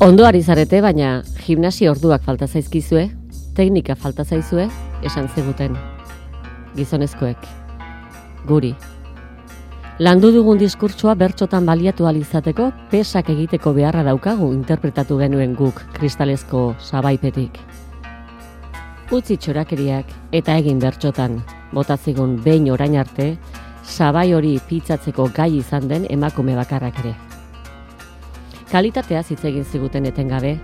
Ondo ari zarete, baina gimnasia orduak falta zaizkizue, teknika falta zaizue, esan ziguten. Gizonezkoek. Guri. Landu dugun diskurtsoa bertsotan baliatu ahal izateko, pesak egiteko beharra daukagu interpretatu genuen guk kristalezko sabaipetik. Utzi txorakeriak eta egin bertsotan, botazigun behin orain arte, sabai hori pitzatzeko gai izan den emakume bakarrak ere. Kalitateaz hitz egin ziguten etengabe,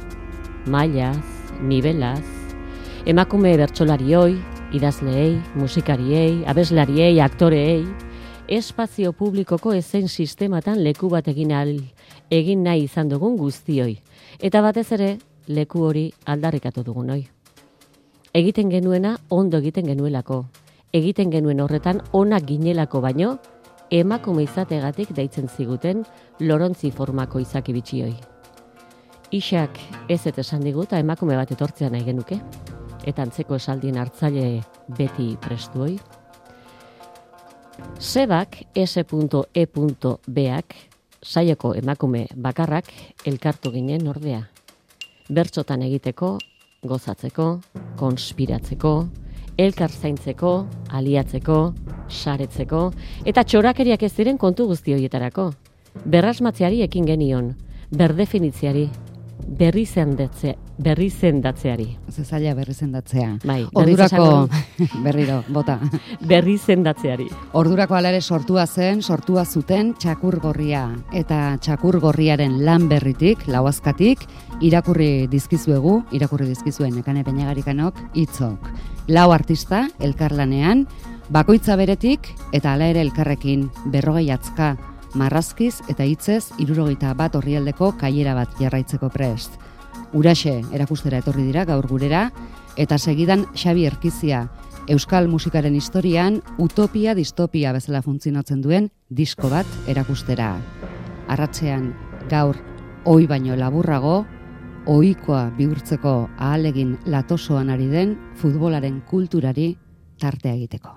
mailaz, nibelaz, emakume bertsolarioi, idazleei, musikariei, abeslariei, aktoreei, espazio publikoko ezein sistematan leku bat egin nahi izan dugun guztioi, eta batez ere leku hori aldarrikatu dugunoi. Egiten genuena ondo egiten genuelako, egiten genuen horretan onak ginelako baino, emakume izategatik deitzen ziguten lorontzi formako izaki bitxioi. Isak ez esan digu eta emakume bat etortzea nahi genuke, eta antzeko esaldien hartzaile beti prestuoi. Sebak, S.E.B.ak, saioko emakume bakarrak elkartu ginen ordea. Bertsotan egiteko, gozatzeko, konspiratzeko, elkar zaintzeko, aliatzeko, saretzeko, eta txorakeriak ez diren kontu guzti horietarako. Berrasmatzeari ekin genion, berdefinitziari, berrizendatzeari. Zezaila berrizendatzea. Bai, ordurako, berriro, bota. Berrizendatzeari. Ordurako hala ere sortua zuten txakur gorria. Eta txakur gorriaren lan berritik, lauazkatik, irakurri dizkizuen Nekane Peñagarikanok hitzok. 4 artista, elkarlanean, bakoitza beretik, eta hala ere elkarrekin 40 atzka, marrazkiz eta hitzez 71 orrialdeko kaiera bat jarraitzeko prest. Uraxe erakustera etorri dira gaur gurera, eta segidan Xabi Erkizia, euskal musikaren historian utopia distopia bezala funtzionatzen duen disko bat erakustera. Arratsean gaur ohi baino laburrago, ohikoa bihurtzeko ahalegin latosoan ari den futbolaren kulturari tartea egiteko.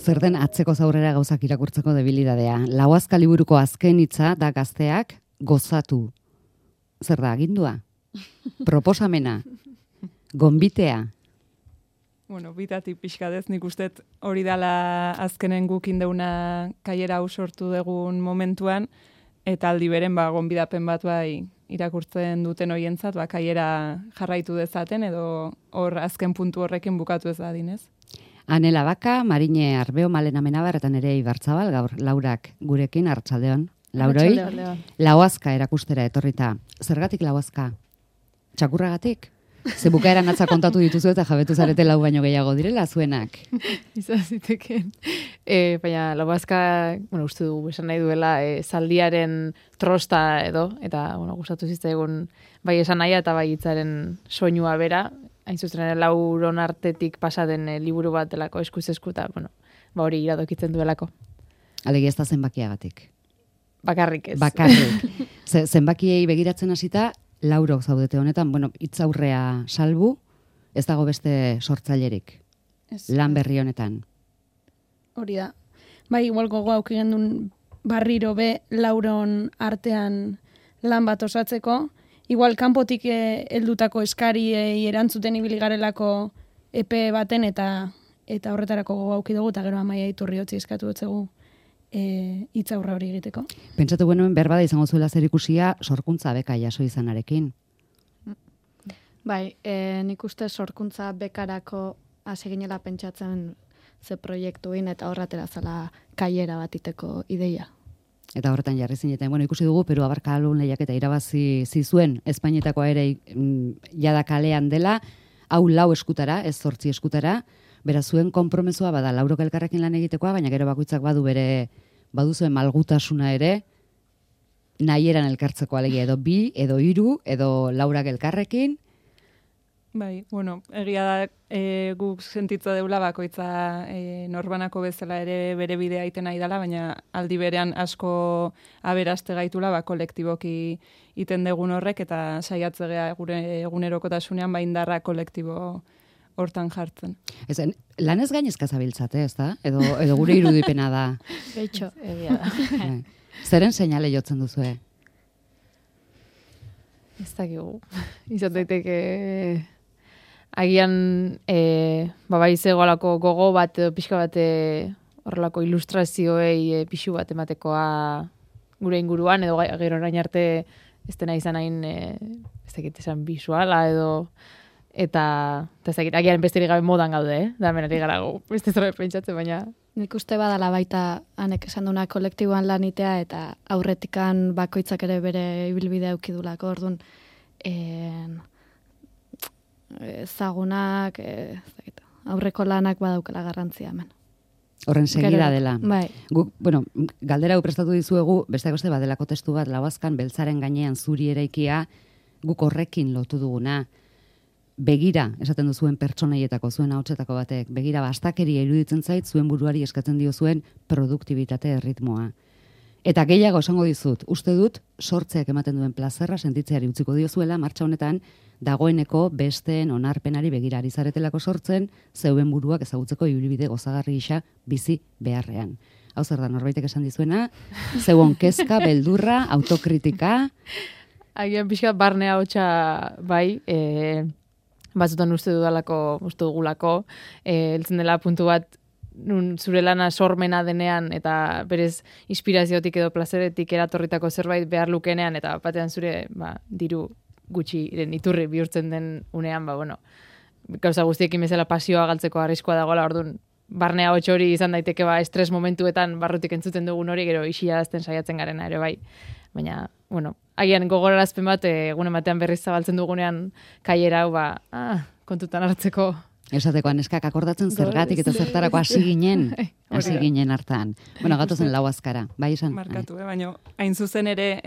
Zer den atzeko zaurrera gauzak irakurtzeko debilidadea. Lauazka liburuko azken hitza da gazteak gozatu. Zer da, agindua? Proposamena? Gonbitea? Bueno, bitatik pixkadez, nik ustet hori dala azkenen gukin deuna kaiera hau sortu dugun momentuan, eta aldi beren gonbidapen bat bai irakurtzen duten hoientzat, kaiera jarraitu dezaten, edo hor azken puntu horrekin bukatu ez dadinez. Anela Baka, Marine Arbeo, Malena Menabar, eta nere Ibartzabal, gaur Laurak gurekin, arratsaldeon. Lauroi, lauazka erakustera etorrita. Zergatik lauazka? Txakurragatik? Ze bukaeran atza kontatu dituzu eta jabetu zarete 4 baino gehiago direla zuenak. Izan ziteken. Baina lauazka, uste dugu, esan nahi duela, zaldiaren trosta edo, eta gustatu zitzaigun bai esan nahia eta bai hitzaren soinua bera, hain zuzen ere Lauron artetik pasaden liburu bat delako eskuz eskuta, hori iradokitzen duelako. Alegia ez da zenbakiagatik. Bakarrik ez. Bakarrik. Zenbakiei begiratzen hasita, Laurok zaudete honetan, hitzaurrea salbu, ez dago beste sortzailerik. Lan berri honetan. Hori da. Bai, igual gogo auki gendun barriro be Lauron artean lan bat osatzeko, igual kanpotik heldutako eskariei erantzuten ibili garelako epe baten eta horretarako gogo auki dugu, eta gero Amaia Iturriotzi eskatu dutzegu hitzaurra hori egiteko. Pentsatu genuen berbada izango zuela zer ikusia sorkuntza beka jaso izanarekin. Bai, nik uste sorkuntza bekarako hasi ginela pentsatzen ze proiektuin eta horratera zala kaiera batiteko ideia. Eta horretan jarri zineten, ikusi dugu, Peru Abarkalun lehiaketa irabazi zizuen, Espainietakoa ere jada kalean dela, hau 4 eskutara, ez 8 eskutara, beraz zuen konpromesua bada laurok elkarrekin lan egitekoa, baina gero bakoitzak badu zuen malgutasuna ere, nahieran elkartzeko alegia, edo 2, edo 3, edo laurak elkarrekin. Bai, egia da guk sentitza deula bakoitza norbanako bezala ere bere bidea egiten nahi dela, baina aldi berean asko aberaste gaitula kolektiboki iten degun horrek eta saiatzea gure egunerokotasunean indarra kolektibo hortan jartzen. Lanez gainezka zabiltzate, ez da? Edo gure irudipena da. Geitxo. Egia da. Zeren seinale jotzen duzue? Ez dakigu. Izan daiteke agian bai zegoelako gogo bat edo pixka bat horrelako ilustrazioei pixu bat ematekoa gure inguruan edo gero orain arte ez dena izan hain ez dakit esan bisuala edo eta ez dakit agian besterik gabe modan gaude, da menari gara beste zerbait pentsatzen, baina nik uste badala baita hanek esan duna kolektiboan lanitea eta aurretikan bakoitzak ere bere ibilbidea eukidulako, orduan ezagunak, aurreko lanak badaukala garrantzia hemen. Horren segida dela. Bai. Guk, galdera hau prestatu dizuegu, besteak beste badelako testu bat, Lauazkan beltzaren gainean zuri eraikia, guk horrekin lotu duguna. Begira, esaten duzuen pertsonaietako, zuen ahotsetako batek, begira bastakeria iruditzen zait, zuen buruari eskatzen dio zuen produktibitate erritmoa. Eta gehiago esango dizut, uste dut, sortzeak ematen duen plazerra sentitzeari utziko diozuela, martxa honetan, dagoeneko besteen onarpenari begira ari zaretelako sortzen, zeuen buruak ezagutzeko ibilbide gozagarri gisa bizi beharrean. Hau zer da, norbaitek esan dizuena, zeuen kezka, beldurra, autokritika. Agian pixka barnea hotxa bai, batzutan uste dugulako, heltzen dela puntu bat, nun zure lana sormena denean eta berez inspiraziotik edo plazeretik eratorritako zerbait behar lukenean eta batean zure diru gutxiren iturri bihurtzen den unean, gauza guztiekin bezala pasioa galtzeko arriskoa dagoela, orduan barnea hotx hori izan daiteke estres momentuetan barrutik entzuten dugun hori, gero isiarazten saiatzen garena ere bai. Baina, agian gogorarazpen bat, egun batean berriz zabaltzen dugunean kaiera hau, kontutan hartzeko. Esateko neskak akordatzen zergatik eta zertarako hasi ginen hartan. Gatozen Lauazkara, bai esan. Markatu, baina hain zuzen ere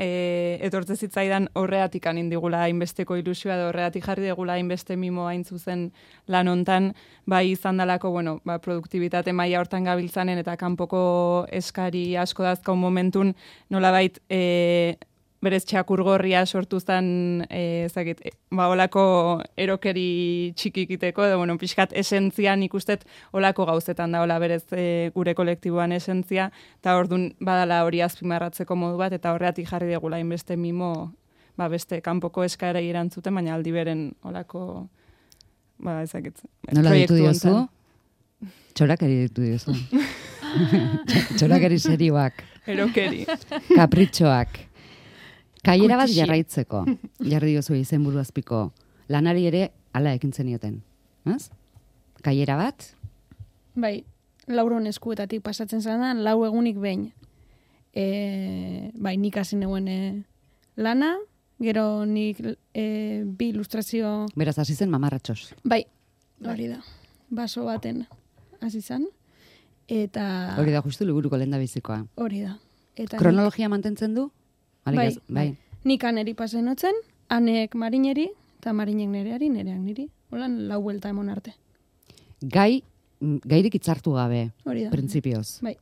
etortze zitzaidan horreatik anindigula hainbesteko ilusioa edo horreatik jarri degula hainbeste mimo hain zuzen lan hontan, bai izan dalako, produktibitate maila hortan gabiltzanen eta kanpoko eskari asko dazkau momentun nolabait berez txakurgorria sortu zen, olako erokeri txikikiteko, edo, pixkat esentzian ikustet olako gauzetan da, berez gure kolektiboan esentzia, eta orduan badala hori azpimarratzeko modu bat, eta horreatik jarri degula inbeste mimo, beste kanpoko eskaerei erantzuten, baina aldi beren olako, nola ditu diozu? Txorakeri ditu diozu. Txorakeri serioak. Erokeri. Kapritxoak. Kaiera bat jarraitzeko, jarri diozu izenburu azpiko, lanari ere hala ekin zenioten. Kaiera bat? Bai, lauron eskuetatik pasatzen zanan, 4 egunik behin. Nik hasi neuen lana, gero nik 2 ilustrazio... Beraz, hasi zen mamarratxos. Bai, hori da. Baso baten hasi zen. Eta... Hori da, justu liburuko lehendabizikoa. Hori da. Kronologia mantentzen du? Bai. Nik aneri pasen hotzen, anek marineri, eta marinek nereari, nereak niri. Holan 4 buelta emon arte. Gairik itzartu gabe, hori da. Printzipioz. Bai.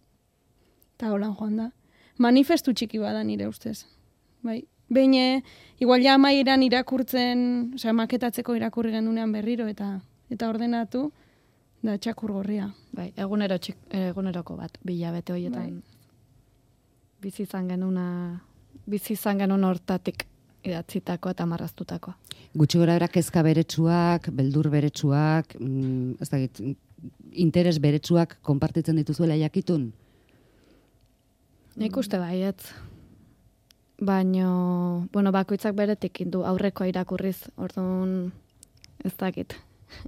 Eta holan joan da. Manifestu txiki bada nire ustez. Bai. Behin, igual ja amaieran irakurtzen, maketatzeko irakurri gendunean berriro, eta ordenatu, da txakurgorria. Bai, eguneroko bat, 2 hilabete horietan. Bizi izan genuen hortatik idatzitako eta marraztutako. Gutxi gora bera kezka beretsuak, beldur beretsuak, interes beretsuak konpartitzen dituzuela jakitun? Nik uste baietz. Baina, bakoitzak beretik indu aurrekoa irakurriz, orduan ez dakit.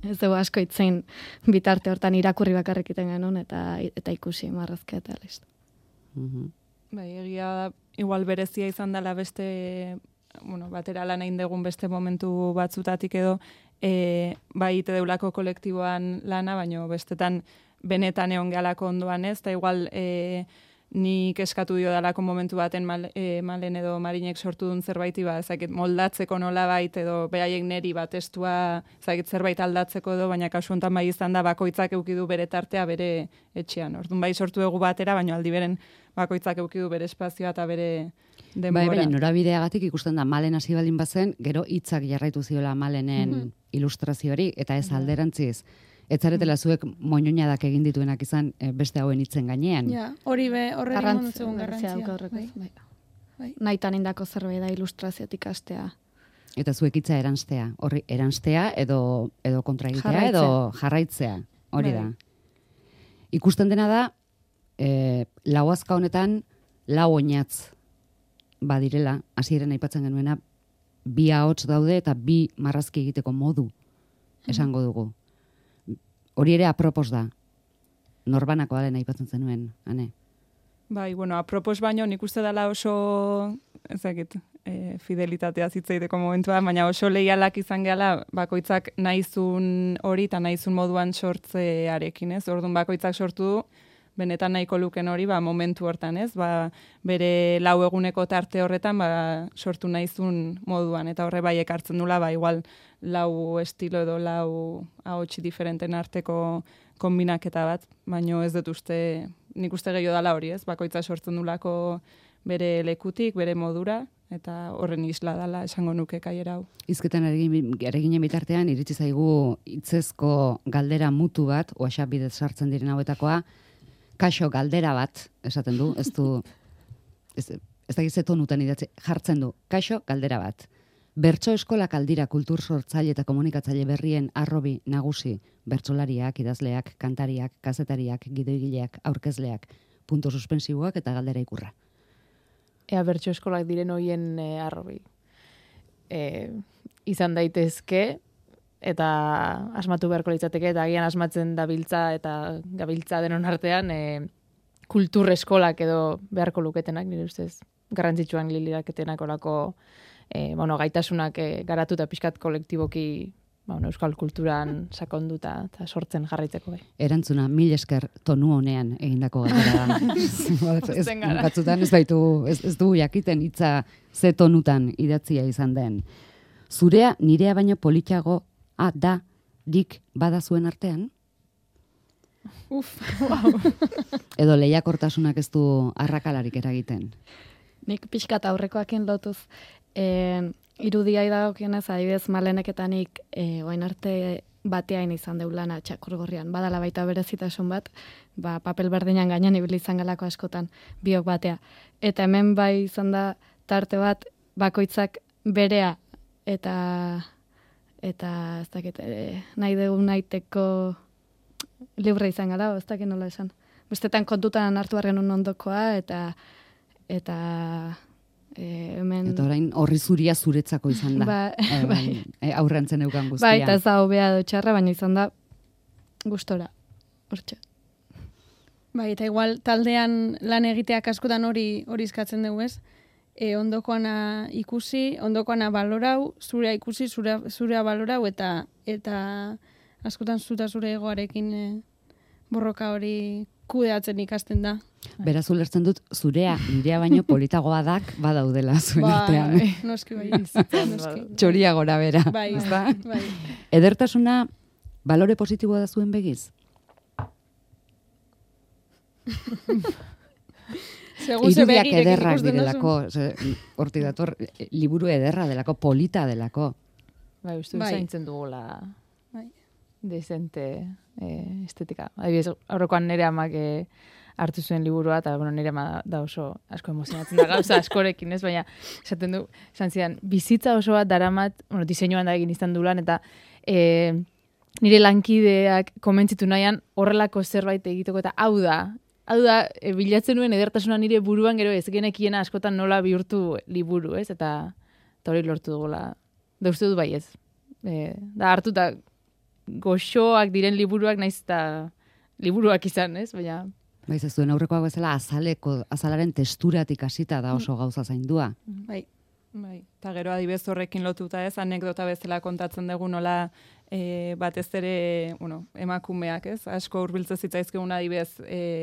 Ez dugu asko itzein bitarte hortan irakurri bakarrik iten genuen eta ikusi marrazka eta listo. Bai, egia da, igual berezia izan dela beste, batera lan egin dugun beste momentu batzutatik edo, bai ite deulako kolektiboan lana, baino bestetan benetan egon gehalako ondoan ez, eta igual nik eskatu dio dalako momentu baten Malen edo Marinek sortu duen zerbaiti, ezakit moldatzeko nolabait edo behaiek neri testua ezakit zerbait aldatzeko edo, baina kasu honetan bai izan da bakoitzak eukidu bere tartea bere etxean. Orduan bai sortu dugu batera, baina aldi beren bakoitzak eukidu bere espazioa eta bere denbora. Bai, baina norabideagatik ikusten da Malen hasi baldin bazen, gero hitzak jarraitu ziola Malenen ilustrazioari, eta ez alderantziz. Ez zaretela zuek moñoñadak egin dituenak izan beste hauen hitzen gainean. Ja, hori horren monotzegun garrantzia. Bai. Naitan indako zerbait da ilustraziotik astea. Eta zuek hitza eranstea. Horri eranstea edo kontraegitea edo jarraitzea. Hori da. Ikusten dena da, lauazka honetan lau oinatz badirela, hasieran aipatzen genuena, bi ahots daude eta bi marrazki egiteko modu esango dugu. Hori ere apropos da. Norbanakoa dena aipatzen zenuen, Ane? Bai, apropos baino nik uste dela oso, ezakit, fidelitatea zitzaiteko momentua, baina oso leialak izan gehala bakoitzak nahizun hori eta nahizun moduan sortzearekin, ez? Orduan bakoitzak sortu du, benetan nahiko luken hori, momentu hortan, ez? Bere lau eguneko tarte horretan, sortu nahizun moduan, eta horre bai ekartzen dula, igual lau estilo edo lau ahots diferenten arteko kombinaketa bat, baino ez dut uste, nik uste gehiago dala hori, ez? Bakoitza sortzen dulako bere lekutik, bere modura, eta horren isla dala esango nuke kaiera hau. Hizketan eraginen bitartean, iritsi zaigu hitzezko galdera mutu bat, WhatsApp bidez sartzen diren hauetakoa, kaixo galdera bat, esaten du, ez da gizetonutan idatzi, jartzen du, kaixo galdera bat. Bertso eskolak aldira kultur sortzaile eta komunikatzaile berrien arrobi nagusi, bertsolariak, idazleak, kantariak, kazetariak, gidoigileak, aurkezleak, punto suspensiboak eta galdera ikurra. Ea bertso eskolak diren hoien arrobi. Izan daitezke, eta asmatu beharko litzateke, eta agian asmatzen dabiltza eta gabiltza denon artean, kultur eskolak edo beharko luketenak, nire ustez, garrantzitsuan liliraketenak olako gaitasunak garatu eta pixkat kolektiboki euskal kulturan sakonduta eta sortzen jarraitzeko bai. Erantzuna, 1000 esker tonu honean egindako galdera da. Batzutan ez du jakiten hitza ze tonutan idatzia izan den. Zurea nirea baino politxago da dik bada zuen artean? Wow. Edo lehiakortasunak ez du arrakalarik eragiten? Nik pixkat aurrekoakin lotuz, irudia idagokionez, adibidez Malenek eta nik oain arte bateain izan deulana Txakurgorrian. Badala baita berezitasun bat, papel berdinan gainean ibili izan galako askotan, biok batea. Eta hemen bai izan da tarte bat bakoitzak berea eta ez dakit, nahi dugu naiteko libre izan gara, ez dakit nola esan. Bestetan kontutan hartu arren ondokoa eta hemen... Eta orain horri zuria zuretzako izan da. Aurrentzen eukan guztia. Bai, eta ez da hobea edo txarra, baina izan da gustora. Hortxe. Bai, eta igual taldean lan egiteak askotan hori eskatzen dugu, ez? Ondokoana ikusi, ondokoana balorau, zurea ikusi, zurea balorau, eta askotan zure egoarekin borroka hori kudeatzen ikasten da. Beraz ulertzen dut, zurea nirea baino politagoa dak badaudela zuen artean. Noski bai. Txoria gora bera. Bai. Edertasuna balore positiboa da zuen begiz? Irudiak ederrak direlako, hortik dator, liburu ederra delako, polita delako. Bai, uste zaintzen dugula desente estetika. Adibidez, aurrekoan nire amak hartu zuen liburua, eta nire ama da oso asko emozionatzen da gauza askorekin, ez? Baina, esaten du, esan zidan, bizitza oso bat daramat, diseinuan da egin izan dulan, eta nire lankideak komentzitu nahian horrelako zerbait egiteko, eta hau da, bilatzen nuen edertasuna nire buruan gero ez genekiena askotan nola bihurtu liburu, ez? Eta hori lortu dugula. Da uste dut bai ez. Da hartuta goxoak diren liburuak naiz eta liburuak izan, ez? Baina Baiz ez zuen aurrekoak bezala azalaren testuratik hasita da oso gauza zaindua. Bai. Eta gero adibez horrekin lotuta ez, anekdota bezala kontatzen dugu nola batez ere, emakumeak ez, asko hurbiltzen zitzaizkigun adibez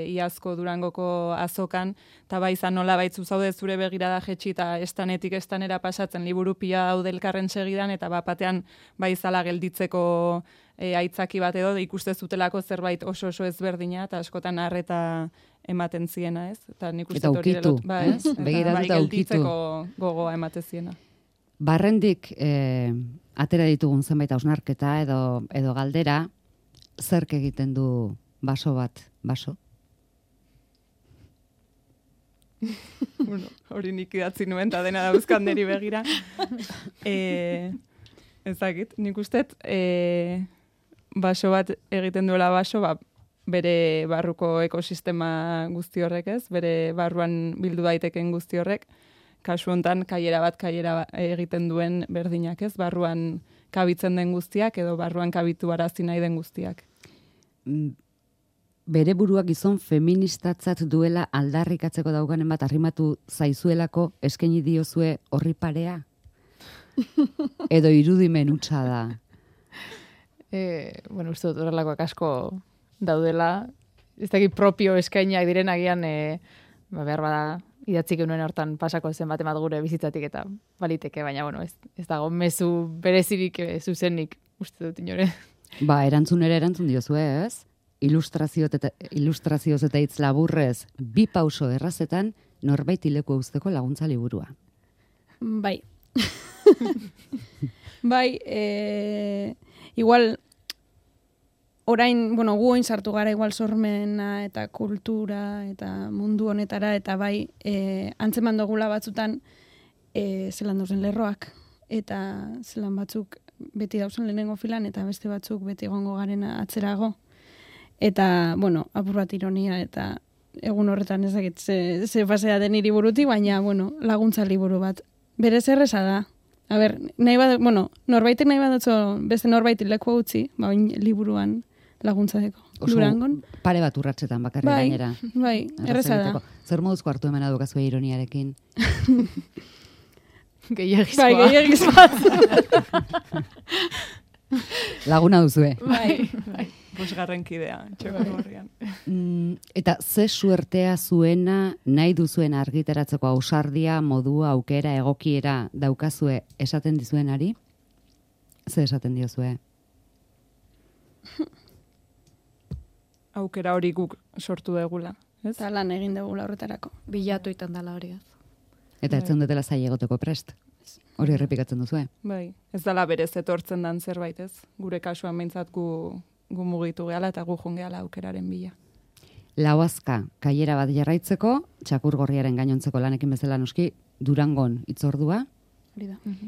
iazko Durangoko azokan, eta bai izan nola baitzu zaude zure begirada jetxi eta estanetik estanera pasatzen liburu pila daude elkarren segidan, eta batean bai izala gelditzeko aitzaki bat edo ikuste zutelako zerbait oso ezberdina, eta askotan harreta ematen ziena, ez? Eta nik uste hori ukitu, ez? Begiratu eta ukitu. Gelditzeko gogoa ematen ziena. Barrendik atera ditugun zenbait hausnarketa edo galdera, zerk egiten du baso bat, baso? Hori nik idatzi nuen, eta dena dauzkan neri begira. Ezakit, nik ustet, baso bat egiten duela baso, bere barruko ekosistema guzti horrek ez, bere barruan bildu daiteken guzti horrek, kasu hontan kaiera egiten duen berdinak ez, barruan kabitzen den guztiak edo barruan kabitu arazi nahi den guztiak. Bere buruak gizon feministatzat duela aldarrikatzeko dauganen bat arrimatu zaizuelako eskaini diozue horri parea? Edo irudimen hutsa da? Uste dut horrelakoak asko daudela, ez dakit propio eskainiak diren agian behar bada idatzik genuen hortan pasako zen bat gure bizitzatik eta baliteke, baina ez dago mezu berezirik zuzenik uste dut inore. Erantzun diozue ez? Ilustrazioz eta hitz laburrez, 2 pauso errazetan norbait leku uzteko laguntza liburua. Bai. Igual orain, gu oin sartu gara igual sormena eta kultura eta mundu honetara, eta bai, antzeman dugula batzutan zelan dauzen lerroak, eta zelan batzuk beti dauzen lehenengo filan, eta beste batzuk beti egongo garen atzerago. Eta, apur bat ironia, eta egun horretan ezakit ze pasea den hiri burutik, baina, laguntza liburu bat. Berez erreza da. A ber, norbaitek nahi badotzo beste norbaitik leku utzi, liburuan laguntza deko. Durangon. Pare bat urratsetan bakarri gainera. Bai, erreza da. Zer moduzko hartu emena dukazue ironiarekin? Gehiagizkoa. Bai, gehiagizkoa. Laguna duzue. Bai. 5. kidea, txoko horrian. Eta ze suertea zuena nahi duzuen argitaratzeko ausardia, modua, aukera, egokiera daukazue esaten dizuenari? Ze esaten diozue? Aukera hori guk sortu degula. Eta lan egin degula horretarako. Bilatu itan dela hori ez. Eta ez zeundetela zai egoteko prest? Hori errepikatzen duzue? Bai, ez dela berez etortzen dan zerbait ez. Gure kasuan behintzat gu mugitu gehala eta gu joan gehala aukeraren bila. Lauazka, kaiera bat jarraitzeko, Txakurgorriaren gainontzeko lanekin bezala noski, Durangon itzordua,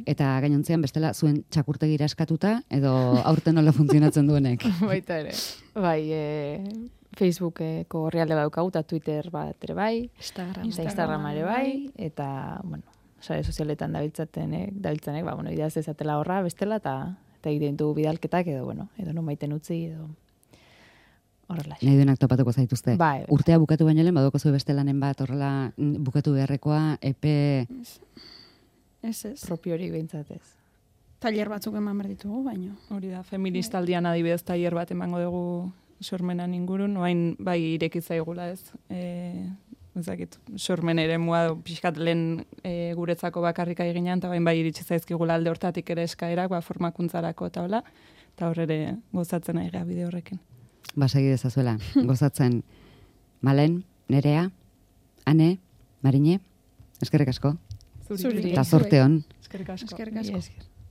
eta gainontzean bestela zuen txakurtegira eskatuta, edo aurten nola funtzionatzen duenek. Baita ere. Bai, Facebookeko orrialde badaukagu, eta Twitter bat ere bai, Instagram ere bai, eta, sare sozialetan dabiltzanek, ideaz ezatela horra, bestela, eta egiten du bidalketak, edo non maiten utzi, edo horrela. Nahi duenak topatuko zaituzte. Bai. Urtea bukatu baino lehen, badoko zuen beste lanen bat, horrela bukatu beharrekoa, epe... Ez. Propiorik behintzatez. Tailer batzuk eman behar ditugu, baino. Hori da, feministaldian adibidez tailer bat emango dugu sormenan ingurun, oain bai irekitzaigula ez. Ezakit, sormen ere mua pixkat lehen guretzako bakarrika eginean, eta bai iritsi zaizkigula alde hortatik ere eskaerak, formakuntzarako eta hola, eta horre gozatzen ari gara bide horrekin. Segi dezazuela, gozatzen Malen, Nerea, Ane, Marine, eskerrik asko. Zuri. Eta zorte hon. Eskerrik asko. Eskerrik asko.